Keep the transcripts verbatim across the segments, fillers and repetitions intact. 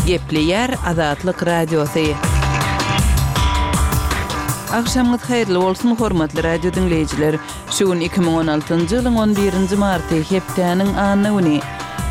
Gepleýär Azatlyk Radiosy. Agşamyňyz haýyrly bolsun, hormatly radio diňleýjiler! Şu gün iki müň on altynjy ýylyň on birinji marty, hepdäniň anna güni.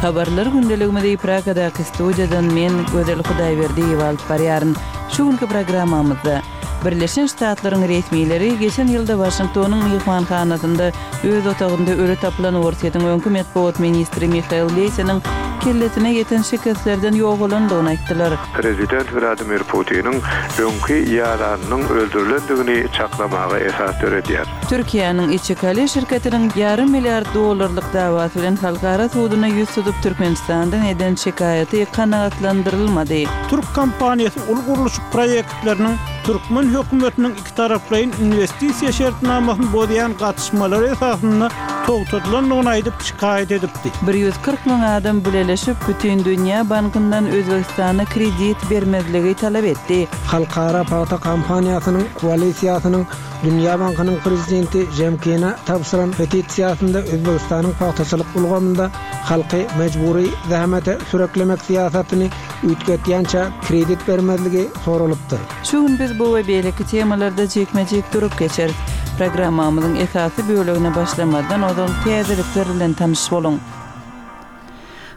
Habarlar gündeligimizi Pragadaky studiýadan men, Gözel Hudaýberdiýewa alyp barýaryn. Şu günki programmamyzda Birleşen Ştatlaryň resmileri geçen ýylda Waşingtonyň myhmanhanasynda öz otagynda öli tapylan Orsýetiň öňki metbugat ministri Mihail Leýseniň kellesine ýeten şikeslerden ýogalandygyny aýtdylar. Prezident Wladimir Putiniň öňki ýaranynyň öldürilendigini çaklamaga esas döredýär. Türkiýäniň Içikale şirketiniň ýarym milliard dollarlyk dawasy bilen halkara suduna ýüz tutup Türkmenistandan eden şikaýaty kanagatlandyrylmady. Türk kompaniýasy uly gurluşyk proýektleriniň türkmen hökümetiniň ikitaraplaýyn inwestisiýa şertnamasyny bozýan gatyşmalary esasynda togtadylandygyny aýdyp şikaýat edipdi. Bir ýüz kyrk müň adam bileleşip Bütindünýä bankyndan Özbegistana kredit bermezligi talap etdi. Halkara pagta kampaniýasynyň koalisiýasynyň Dünýä bankynyň prezidenti Žemkine tabşyran petisiýasynda Özbegistanyň pagtaçylyk ulgamynda halky mejbury zähmete süreklemek syýasatyny üýtgetýänçä kredit bermezligi soralypdyr. Şu gün biz bu we beýleki temalarda jikme-jik durup geçeris. Programmamyzyň esasy bölegine başlamazdan ozal täzelikler bilen tanyş boluň.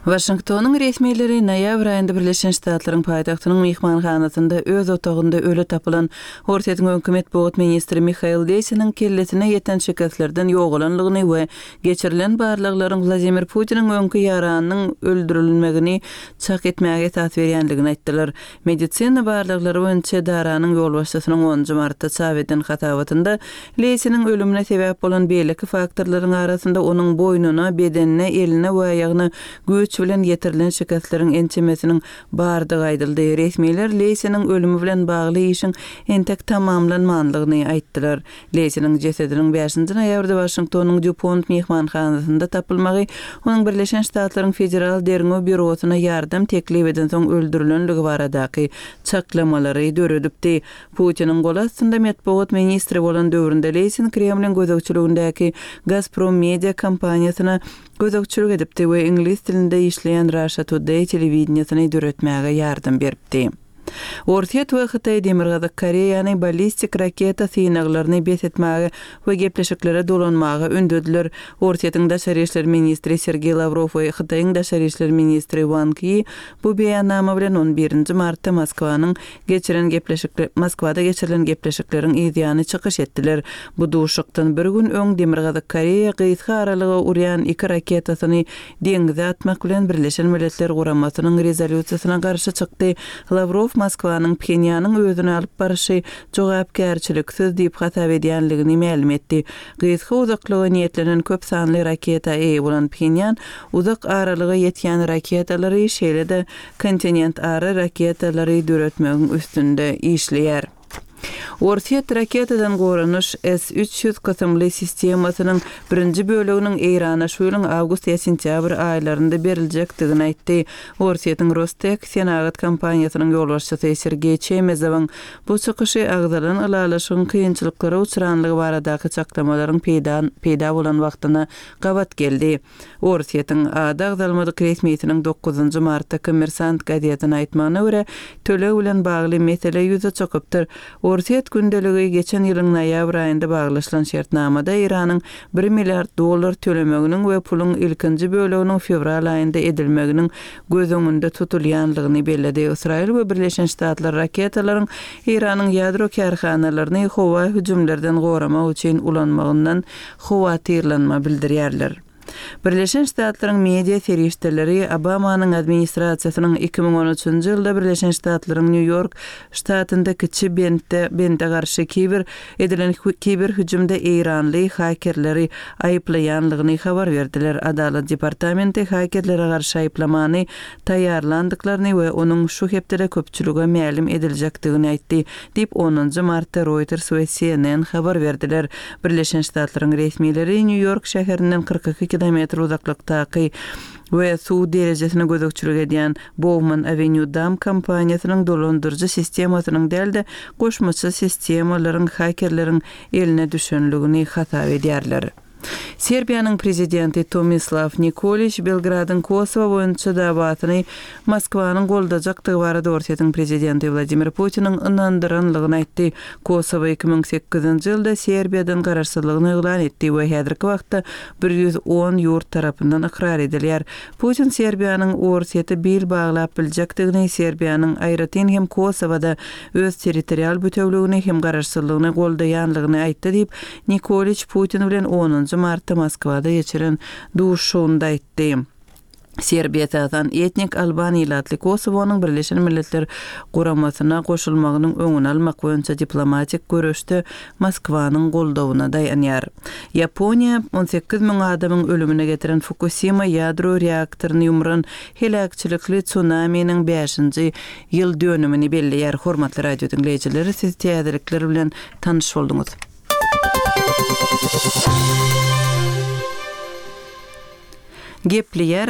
Waşingtonyň resmileri noýabr aýynda Birleşen Ştatlaryň paýtagtynyň myhmanhanasynda öz otagynda öli tapylan Orsýetiň öňki metbugat ministri Mihail Leýsiniň kellesine ýeten şikeslerden ýogalanlygyny we geçirilen barlaglaryň Wladimir Putiniň öňki ýaranynyň öldürilmegini çak etmäge esas berýänligini aýtdylar. Medisina barlaglary boýunça edaranyň ýolbaşçysynyň onunjy martda çap eden hasabatynda Leýsiniň ölümine sebäp bolan beýleki faktorlaryň arasynda onuň boýnuna, bedenine, eline we aýagyna güýç bilen ýetirilen şikesleriň ençemesiniň bardygy aýdyldy. Resmiler Leýsiniň ölümi bilen bagly işiň entek tamamlanmanlygyny aýtdylar. Leýsiniň jesediniň bäşinji noýabrda Waşingtonyň Dupont myhmanhanasynda tapylmagy onuň Birleşen Ştatlaryň Federal Derňew Býurosyna ýardam teklip edensoň öldürilenligi baradaky çaklamalary döredipdi. Putiniň goly astynda metbugat ministri bolan döwründe Leýsin Kremliň gözegçiligindäki Gazprom Media kompaniýasyna gözegçilik edipdi we iňlis dilinde işleýän Russia Today telewideniýesini döretmäge ýardam beripdi. Orsýet we Hytaý Demirgazyk Koreýany ballistik raketa synaglaryny bes etmäge we gepleşiklere dolanmaga ündediler. Orsýetiň daşary işler ministri Sergeý Lawrow we Hytaýyň daşary işler ministri Wang Yi bu beýannama bilen on birinji martda Moskwanyň geçiren gepleşikle-, Moskwada geçirilen gepleşikleriň yzýany çykyş etdiler. Bu duşuşykdan bir gün öň Demirgazyk Koreýa gysga aralyga urýan iki raketasyny deňize atmak bilen Birleşen Milletler Guramasynyň rezolýusiýasyna garşy çykdy. Lawrow Moskwanyň Phenýanyň özüni alyp baryşy jogapkärçiliksiz diýip hasap edýänligini mälim etdi. Gysga uzaklyga niýetlenen köp sanly raketa eýe bolan Phenýan uzak aralyga ýetýän raketalary, şeýle-de kontinentara raketalary döretmegiň üstünde işleýär. Orsýet raketadan goranyş S üç ýüz kysymly sistemasynyň birinji böleginiň Eýrana şu ýylyň awgust ýa sentýabr aýlarynda beriljekdigini aýtdy. Orsýetiň Rostek senagat kompaniýasynyň ýolbaşçysy Sergeý Çemezowyň bu çykyşy agzalan ylalaşygyň kynçylyklara uçranlygy baradaky çaklamalaryň peýda, peýda bolan wagtyna gabat geldi. Orsýetiň ady agzalmadyk resmisiniň dokuzynjy martda Kommersant gazetine aýtmagyna görä, töleg bilen bagly mesele ýüze çykypdyr. Orsýet gündeligi geçen ýylyň noýabr aýynda baglaşylan şertnamada Eýranyň bir milliard dollar tölemeginiň we puluň ilkinji böleginiň fewral aýynda edilmeginiň göz öňünde tutulýanlygyny belledi. Ysraýyl we Birleşen Ştatlar raketalaryň Eýranyň ýadro kärhanalaryny howa hüjümlerden goramak üçin ulanmagyndan howatyrlanma bildirýärler. Birleşen Ştatlaryň media serişdeleri Obamanyň administrasiýasynyň iki müň on üçünji ýylda Birleşen Ştatlaryň Nýu-Ýork ştatynda kiçi bentde, bende garşy kiber edilen hü-, kiber hüjümde Eýranly hakerleri aýyplaýanlygyny habar berdiler. Adalat departamenti hakerlere garşy aýyplamany taýýarlandyklaryny we onuň şu hepdede köpçülige mälim ediljekdigini aýtdy, diýip onunjy martda Reuters we C N N habar berdiler. Birleşen Ştatlaryň resmileri Nýu-Ýork şäherinden kyrk iki kilometr uzaklykdaky we suw derejesine gözegçilik edýän Bowman Avenue Dam kompaniýasynyň dolandyryjy sistemasynyň däl-de goşmaça sistemalaryň hakerleriň eline düşenligini hasap edýärler. Serbiýanyň prezidenti Tomislaw Nikoliç Belgradyň Kosowa boýunça dawasyny Moskwanyň goldajakdygy barada Orsýetiň prezidenti Wladimir Putiniň ynandyranlygyny aýtdy. Kosowa iki müň sekizinji ýylda Serbiýadan garaşsyzlygyny yglan etdi we häzirki wagtda bir ýüz on ýurt tarapyndan ykrar edilýär. Putin Serbiýanyň Orsýete bil baglap biljekdigini, Serbiýanyň aýratyn hem Kosowada öz territorial bütewligini hem garaşsyzlygyny goldaýanlygyny aýtdy diýip, Nikoliç Putin bilen onunjy martda Moskwada geçiren duşuşygynda aýtdy. Serbiýa esasan etnik alban ilatly Kosowonyň Birleşen Milletler Guramasyna goşulmagynyň öňüni almak boýunça diplomatik göreşde Moskwanyň goldawyna daýanýar. Ýaponiýa on sekiz müň adamyň ölümine getiren Fukusima ýadro reaktoryny ýumran heläkçilikli tsunaminiň bäşinji ýyl dönümini belleýär. Hormatly radio diňleýjiler, siz täzelikler bilen tanyş bolduňyz. Gepleýär